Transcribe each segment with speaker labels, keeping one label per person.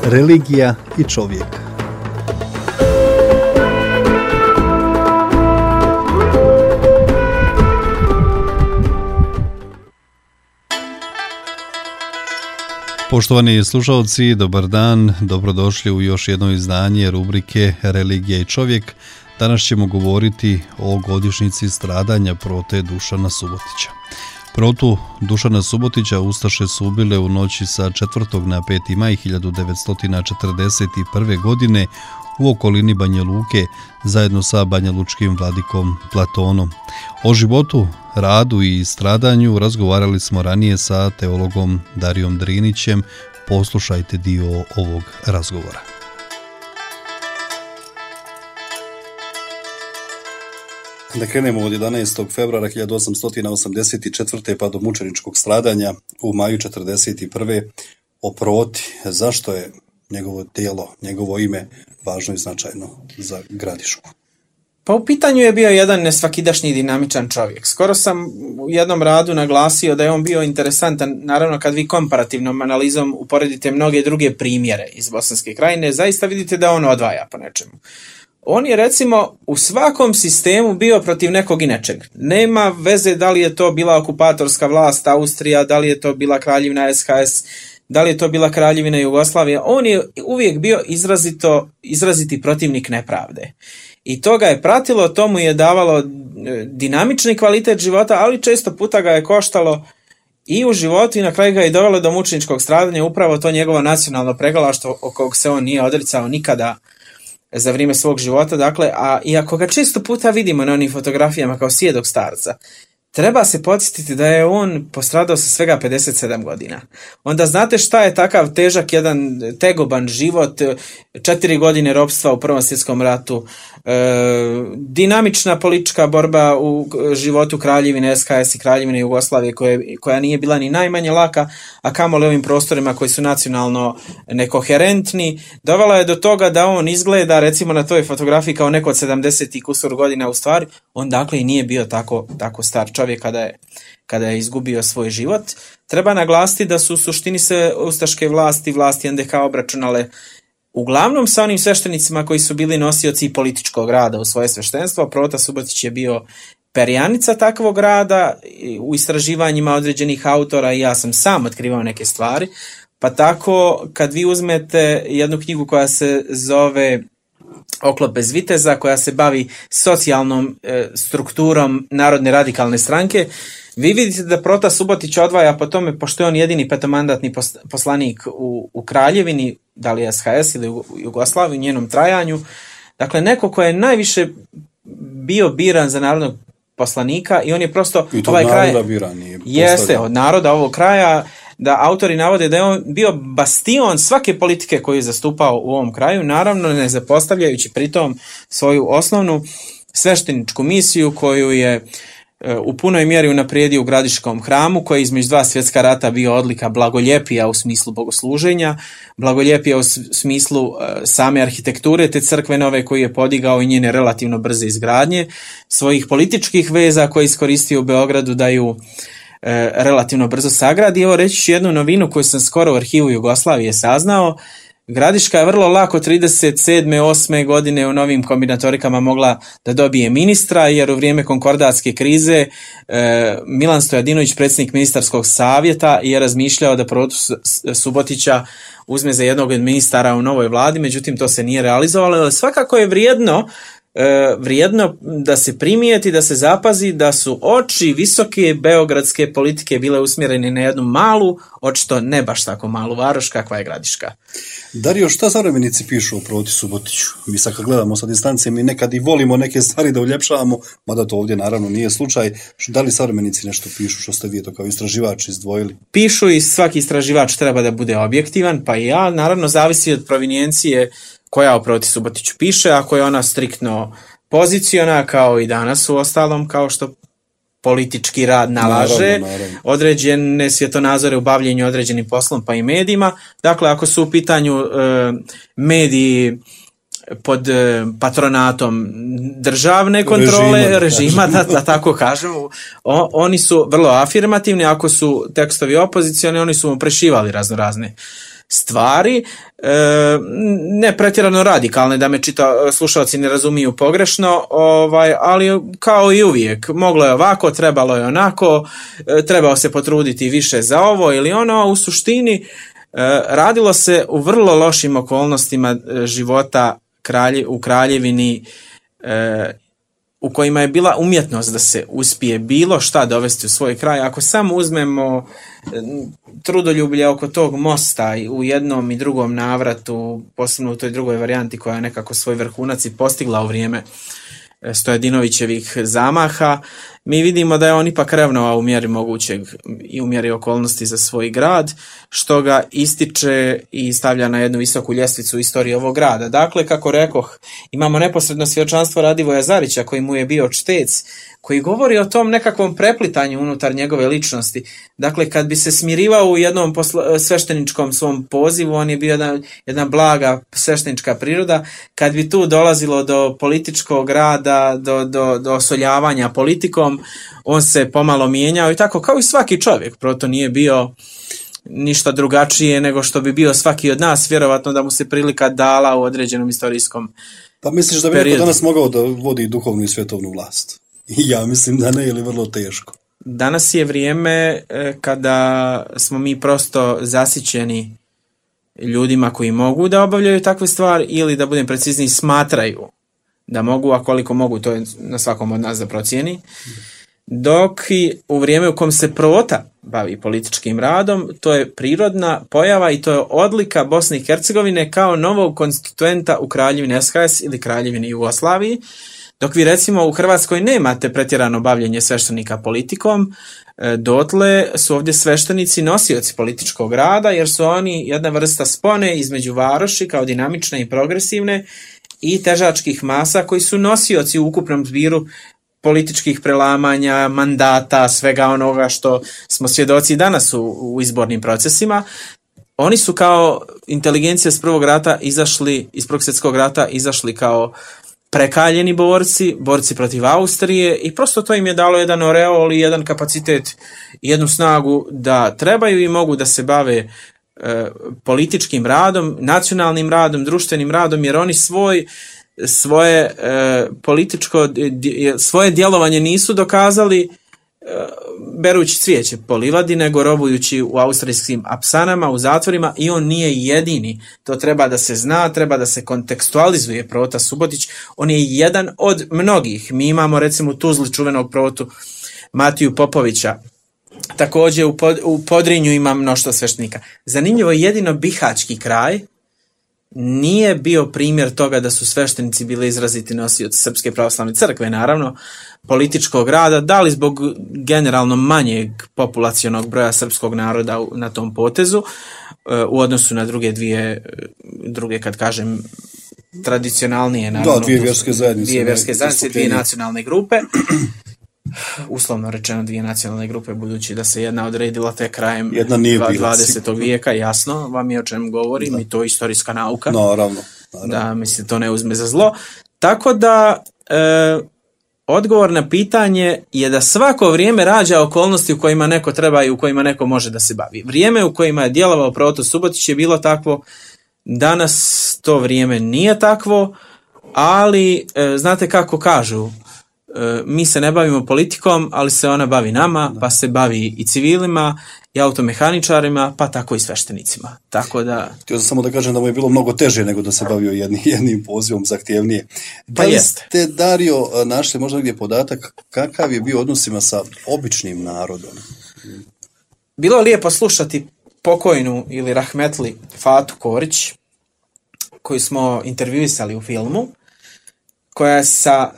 Speaker 1: Religija i čovjek. Poštovani slušalci, dobar dan, dobrodošli u još jedno izdanje rubrike Religija i čovjek. Danas ćemo govoriti o godišnjici stradanja prote Dušana Subotića. Protu Dušana Subotića ustaše su ubile u noći sa 4. na 5. maj 1941. godine u okolini Banja Luke zajedno sa banjalučkim vladikom Platonom. O životu, radu i stradanju razgovarali smo ranije sa teologom Darijom Drinićem. Poslušajte dio ovog razgovora. Da krenemo od 11. februara 1884. pa do mučeničkog stradanja u maju 1941. o Proti. Zašto je njegovo djelo, njegovo ime važno i značajno za Gradišku?
Speaker 2: Pa u pitanju je bio jedan nesvakidašnji dinamičan čovjek. Skoro sam u jednom radu naglasio da je on bio interesantan, naravno kad vi komparativnom analizom uporedite mnoge druge primjere iz Bosanske krajine, zaista vidite da on odvaja po nečemu. On je recimo u svakom sistemu bio protiv nekog i nečeg. Nema veze da li je to bila okupatorska vlast Austrija, da li je to bila kraljevina SHS, da li je to bila kraljevina Jugoslavija. On je uvijek bio izraziti protivnik nepravde. I to ga je pratilo, to mu je davalo dinamični kvalitet života, ali često puta ga je koštalo i u životu i na kraju ga je dovelo do mučeničkog stradanja, upravo to njegovo nacionalno pregalaštvo o kog se on nije odricao nikada za vrijeme svog života. Dakle, a iako ga često puta vidimo na onim fotografijama kao sjedog starca, treba se podsjetiti da je on postradao sa svega 57 godina. Onda znate šta je takav težak jedan tegoban život, 4 godine ropstva u Prvom svjetskom ratu, dinamična politička borba u životu kraljevine SHS i kraljevine Jugoslavije koja nije bila ni najmanje laka, a kamoli ovim prostorima koji su nacionalno nekoherentni, dovela je do toga da on izgleda recimo na toj fotografiji kao neko od 70 i kusur godina, u stvari on dakle i nije bio tako star čovjek kada je izgubio svoj život. Treba naglasiti da su u suštini se ustaške vlasti NDH obračunale uglavnom sa onim sveštenicima koji su bili nosioci političkog rada u svoje sveštenstvo. Prota Subotić je bio perjanica takvog rada u istraživanjima određenih autora i ja sam sam otkrivao neke stvari. Pa tako kad vi uzmete jednu knjigu koja se zove Oklop bez viteza, koja se bavi socijalnom strukturom Narodne radikalne stranke, vi vidite da Prota Subotić odvaja po tome, pošto je on jedini petomandatni poslanik u Kraljevini, da li SHS ili u Jugoslaviji, u njenom trajanju. Dakle, neko ko je najviše bio biran za narodnog poslanika i on je prosto
Speaker 1: i ovaj kraj biran,
Speaker 2: jeste od naroda ovog kraja, da autori navode da je on bio bastion svake politike koju je zastupao u ovom kraju, naravno ne zapostavljajući pritom svoju osnovnu svešteničku misiju koju je u punoj mjeri unaprijedio u Gradiškom hramu, koji je između 2 svjetska rata bio odlika blagoljepija u smislu bogosluženja, blagoljepija u smislu same arhitekture te crkve nove koju je podigao i njene relativno brze izgradnje, svojih političkih veza koje je iskoristio u Beogradu da ju relativno brzo sagradi. Evo reći ću jednu novinu koju sam skoro u arhivu Jugoslavije saznao. Gradiška je vrlo lako 37. 8. godine u novim kombinatorikama mogla da dobije ministra, jer u vrijeme konkordatske krize Milan Stojadinović, predsjednik ministarskog savjeta, je razmišljao da Protu Subotića uzme za jednog od ministara u novoj vladi, međutim to se nije realizovalo, ali svakako je vrijedno da se primijeti, da se zapazi da su oči visoke beogradske politike bile usmjerene na jednu malu, očito ne baš tako malu varoš kakva je Gradiška.
Speaker 1: Dario, šta savremenici pišu o Proti Subotiću? Mi sad kad gledamo sa distance, mi nekad i volimo neke stvari da uljepšavamo, mada to ovdje naravno nije slučaj. Da li savremenici nešto pišu, što ste vi to kao istraživač izdvojili?
Speaker 2: Pišu i svaki istraživač treba da bude objektivan, pa i ja, naravno zavisi od provinijencije koja o Proti Subotiću piše. Ako je ona striktno poziciona, kao i danas u ostalom, kao što politički rad nalaže, naravno. Određene svjetonazore u bavljenju određenim poslom pa i medijima. Dakle, ako su u pitanju mediji pod patronatom državne kontrole, režima da tako kažemo, oni su vrlo afirmativni. Ako su tekstovi opozicioni, oni su mu prešivali razne stvari, ne pretjerano radikalne, da me slušalci ne razumiju pogrešno, ali kao i uvijek, moglo je ovako, trebalo je onako, trebao se potruditi više za ovo ili ono, u suštini radilo se u vrlo lošim okolnostima života u kraljevini, u kojima je bila umjetnost da se uspije bilo šta dovesti u svoj kraj. Ako samo uzmemo trudoljublje oko tog mosta u jednom i drugom navratu, posebno u toj drugoj varijanti koja je nekako svoj vrhunac i postigla u vrijeme Stojadinovićevih zamaha, mi vidimo da je on ipak revnovao u mjeri mogućeg i u mjeri okolnosti za svoj grad, što ga ističe i stavlja na jednu visoku ljestvicu istorije ovog grada. Dakle, kako rekoh, imamo neposredno svjedočanstvo Radivoja Zarića, koji mu je bio čtec, koji govori o tom nekakvom preplitanju unutar njegove ličnosti. Dakle, kad bi se smirivao u jednom svešteničkom svom pozivu, on je bio jedna blaga sveštenička priroda. Kad bi tu dolazilo do političkog rada, do osoljavanja politikom, on se pomalo mijenjao i tako kao i svaki čovjek. Proto nije bio ništa drugačije nego što bi bio svaki od nas, vjerovatno da mu se prilika dala u određenom istorijskom
Speaker 3: Pa misliš da bi neko danas mogao da vodi duhovnu i svjetovnu vlast? Ja mislim da ne, ili vrlo teško.
Speaker 2: Danas je vrijeme kada smo mi prosto zasićeni ljudima koji mogu da obavljaju takve stvari ili, da budem precizniji, smatraju da mogu, a koliko mogu, to je na svakom od nas da procijeni. Dok i u vrijeme u kom se prota bavi političkim radom, to je prirodna pojava i to je odlika Bosne i Hercegovine kao novog konstituenta u Kraljevini SHS ili Kraljevini Jugoslaviji. Dok vi recimo u Hrvatskoj nemate pretjerano bavljenje sveštenika politikom, dotle su ovdje sveštenici nosioci političkog rada, jer su oni jedna vrsta spone između varoši kao dinamične i progresivne i težačkih masa koji su nosioci u ukupnom zbiru političkih prelamanja, mandata, svega onoga što smo svjedoci danas u izbornim procesima. Oni su kao inteligencija iz Prvog svjetskog rata izašli kao prekaljeni borci protiv Austrije i prosto to im je dalo jedan oreol i jedan kapacitet i jednu snagu da trebaju i mogu da se bave političkim radom, nacionalnim radom, društvenim radom, jer oni svoje djelovanje nisu dokazali berući cvijeće po livadi, nego robujući u austrijskim apsanama, u zatvorima, i on nije jedini. To treba da se zna, treba da se kontekstualizuje Prota Subotić. On je jedan od mnogih. Mi imamo recimo u Tuzli čuvenog protu Matiju Popovića. Također u Podrinju ima mnoštvo sveštenika. Zanimljivo je, jedino bihaćki kraj nije bio primjer toga da su sveštenici bili izraziti nosioci Srpske pravoslavne crkve, naravno, političkog rada, da li zbog generalno manjeg populacionog broja srpskog naroda na tom potezu, u odnosu na druge, kad kažem, tradicionalnije, naravno,
Speaker 3: dvije vjerske zajednice,
Speaker 2: dvije nacionalne grupe, uslovno rečeno dvije nacionalne grupe, budući da se jedna odredila te krajem 20. vijeka, jasno vam je o čem govorim, i to je istorijska nauka.
Speaker 3: Naravno.
Speaker 2: Da mi se to ne uzme za zlo. Tako da odgovor na pitanje je da svako vrijeme rađa okolnosti u kojima neko treba i u kojima neko može da se bavi. Vrijeme u kojima je djelovao Proto Subotić je bilo takvo, danas to vrijeme nije takvo, ali znate kako kažu, mi se ne bavimo politikom, ali se ona bavi nama, pa se bavi i civilima, i automehaničarima, pa tako i sveštenicima. Tako da...
Speaker 3: Htio sam samo da kažem da mu je bilo mnogo teže nego da se bavio jednim pozivom, zahtjevnije.
Speaker 2: Pa jeste.
Speaker 3: Ste, Dario, našli možda gdje podatak kakav je bio odnosima sa običnim narodom?
Speaker 2: Bilo je lijepo slušati pokojnu ili rahmetli Fatu Korić, koju smo intervjuisali u filmu, koja je sa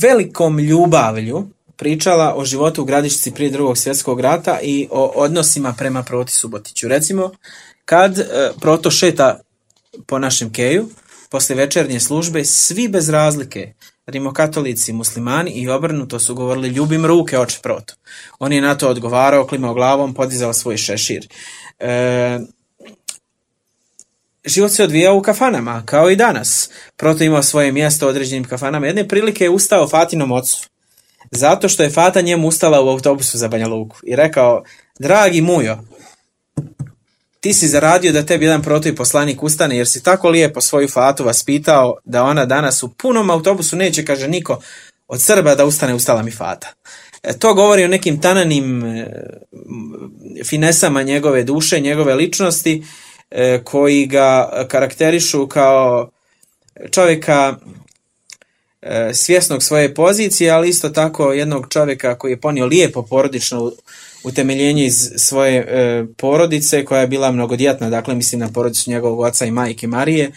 Speaker 2: velikom ljubavlju pričala o životu u Gradišci prije Drugog svjetskog rata i o odnosima prema Proti Subotiću. Recimo, kad Proto šeta po našem keju, poslije večernje službe, svi bez razlike, rimokatolici, muslimani i obrnuto, su govorili: ljubim ruke, oče Proto. On je na to odgovarao, klimao glavom, podizao svoj šešir. Život se odvijao u kafanama, kao i danas. Proto imao svoje mjesto u određenim kafanama. Jedne prilike je ustao Fatinom ocu, zato što je Fata njemu ustala u autobusu za Banja Luku i rekao: dragi Mujo, ti si zaradio da tebi jedan protoj poslanik ustane, jer si tako lijepo svoju Fatu vaspitao da ona danas u punom autobusu neće, kaže, niko od Srba da ustane, ustala mi Fata. To govori o nekim tananim finesama njegove duše, njegove ličnosti, koji ga karakterišu kao čovjeka svjesnog svoje pozicije, ali isto tako jednog čovjeka koji je ponio lijepo porodično utemeljenje iz svoje porodice, koja je bila mnogodjetna, dakle mislim na porodicu njegovog oca i majke Marije,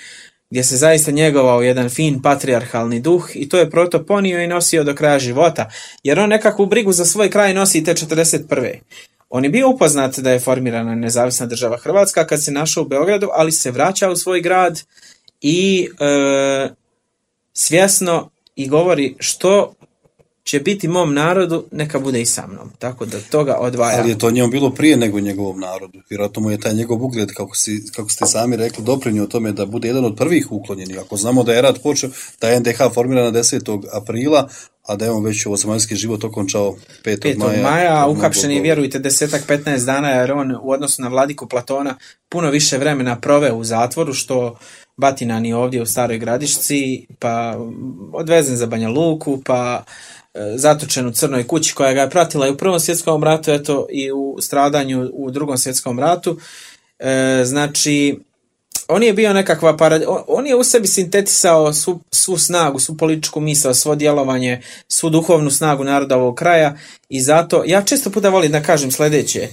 Speaker 2: gdje se zaista njegovao jedan fin patrijarhalni duh, i to je proto ponio i nosio do kraja života, jer on nekakvu brigu za svoj kraj nosi te 41. On je bio upoznat da je formirana nezavisna država Hrvatska kad se našao u Beogradu, ali se vraća u svoj grad i svjesno i govori što će biti mom narodu, neka bude i sa mnom. Tako da toga odvaja.
Speaker 3: Ali je to njemu bilo prije nego njegovom narodu. Vjerojatno mu je taj njegov ugled, kako ste sami rekli, doprinio tome da bude jedan od prvih uklonjenih. Ako znamo da je rat počeo, da je NDH formirana 10. aprila, a da je on već ovozemaljski život okončao 5. maja.
Speaker 2: A uhapšen je, vjerujte, 10-15 dana, jer on u odnosu na vladiku Platona puno više vremena proveo u zatvoru, što batina ni ovdje u Staroj Gradišci, pa odvezen za Banja Luku, pa zatočen u Crnoj kući koja ga je pratila i u Prvom svjetskom ratu, eto i u stradanju u Drugom svjetskom ratu. Znači, on je bio nekakva on je u sebi sintetisao svu snagu, svu političku misao, svo djelovanje, svu duhovnu snagu naroda ovog kraja, i zato ja često puta volim da kažem sljedeće: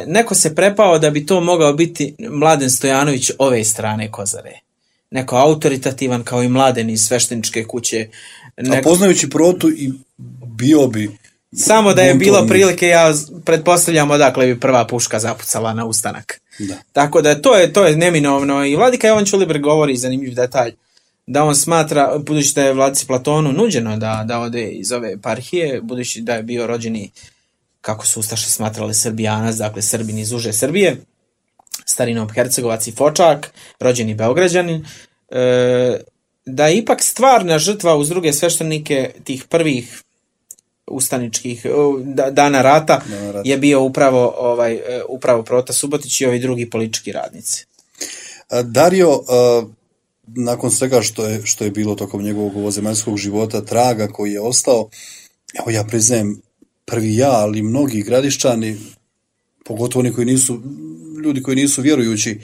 Speaker 2: neko se prepao da bi to mogao biti Mladen Stojanović ove strane Kozare. Neko autoritativan kao i Mladen iz svešteničke kuće.
Speaker 3: A poznajući Protu i bio bi...
Speaker 2: Samo da je bilo prilike, ja pretpostavljam odakle bi prva puška zapucala na ustanak.
Speaker 3: Da.
Speaker 2: Tako da to je neminovno. I vladika Jovan Ćulibrk govori zanimljiv detalj, da on smatra, budući da je vladici Platonu nuđeno da ode iz ove eparhije, budući da je bio rođeni, kako su ustaše smatrali, Srbijanac, dakle Srbin iz uže Srbije, starinom Hercegovac i Fočak, rođeni Beograđanin, da je ipak stvarna žrtva uz druge sveštenike tih prvih ustaničkih dana rata je bio upravo Prota Subotić i ovi drugi politički radnici.
Speaker 3: Dario, nakon svega što je bilo tokom njegovog ovozemaljskog života, traga koji je ostao, evo ja priznajem, prvi ja, ali mnogi Gradišćani, pogotovo oni ljudi koji nisu vjerujući,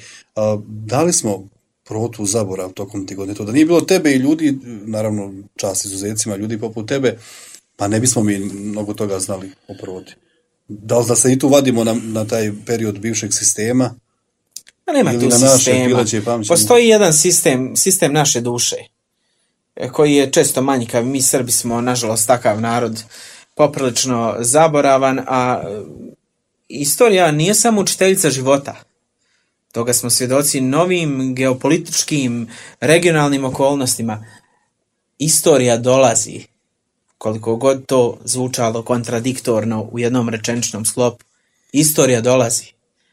Speaker 3: dali smo Protu u zaborav tokom tih godina. To da nije bilo tebe i ljudi, naravno čast izuzecima, ljudi poput tebe, pa ne bismo mi mnogo toga znali o Proti. Da li da se i tu vadimo na taj period bivšeg sistema?
Speaker 2: A nema tu sistema. Postoji jedan sistem naše duše, koji je često manjkav. Mi Srbi smo, nažalost, takav narod, poprilično zaboravan, a istorija nije samo učiteljica života. Toga smo svjedoci novim geopolitičkim, regionalnim okolnostima. Istorija dolazi, koliko god to zvučalo kontradiktorno u jednom rečeničnom sklopu. Istorija dolazi.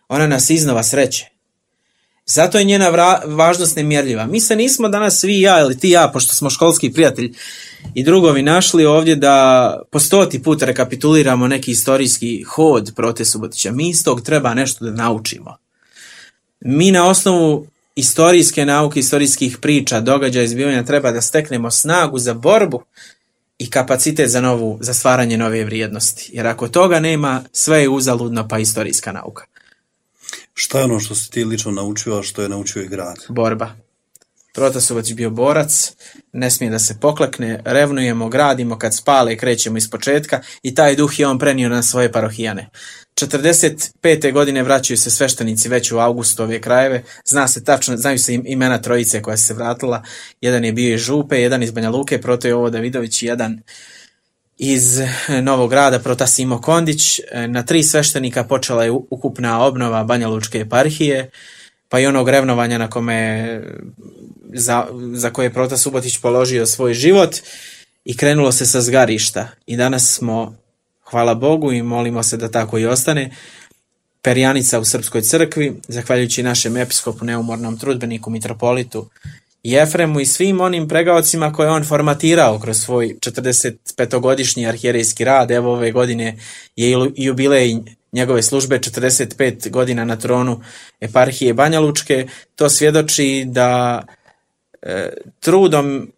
Speaker 2: Ona nas iznova sreće. Zato je njena važnost nemjerljiva. Mi se nismo danas svi ja ili ti ja, pošto smo školski prijatelj i drugovi, našli ovdje da po 100. put rekapituliramo neki istorijski hod Prote Subotića. Mi iz tog treba nešto da naučimo. Mi na osnovu istorijske nauke, istorijskih priča, događaja, izbivanja treba da steknemo snagu za borbu i kapacitet za stvaranje nove vrijednosti. Jer ako toga nema, sve je uzaludno, pa istorijska nauka.
Speaker 3: Šta je ono što si ti lično naučio, a što je naučio i grad?
Speaker 2: Borba. Prota Subotić bio borac, ne smije da se poklekne, revnujemo, gradimo, kad spale krećemo iz početka, i taj duh je on prenio na svoje parohijane. 45. godine vraćaju se sveštenici već u avgustu ove krajeve, znaju se imena trojice koja se vratila, jedan je bio iz Župe, jedan iz Banja Luke, Proto Jovo Davidović, i jedan iz Novog Grada, Prota Simo Kondić. Na 3 sveštenika počela je ukupna obnova Banja Lučke eparhije, pa i onog revnovanja na kome za koje je Prota Subotić položio svoj život, i krenulo se sa zgarišta. I danas smo, hvala Bogu, i molimo se da tako i ostane, perjanica u Srpskoj crkvi, zahvaljujući našem episkopu, neumornom trudbeniku, mitropolitu Jefremu i svim onim pregaocima koje on formatirao kroz svoj 45-godišnji arhijerejski rad. Evo ove godine je jubilej njegove službe 45 godina na tronu eparhije Banja Lučke. To svjedoči da trudom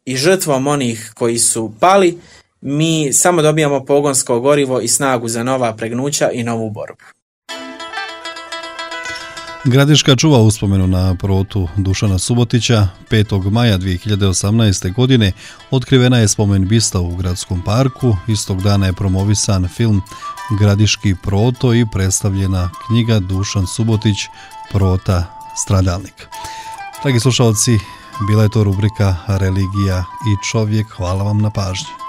Speaker 2: i žrtvom onih koji su pali, mi samo dobijamo pogonsko gorivo i snagu za nova pregnuća i novu borbu.
Speaker 1: Gradiška čuva uspomenu na prorotu Dušana Subotića. 5. maja 2018. godine otkrivena je spomen bista u gradskom parku. Istog dana je promovisan film Gradiški proto i predstavljena knjiga Dušan Subotić, prota stradalnik. Dragi slušalci, bila je to rubrika Religija i čovjek. Hvala vam na pažnji.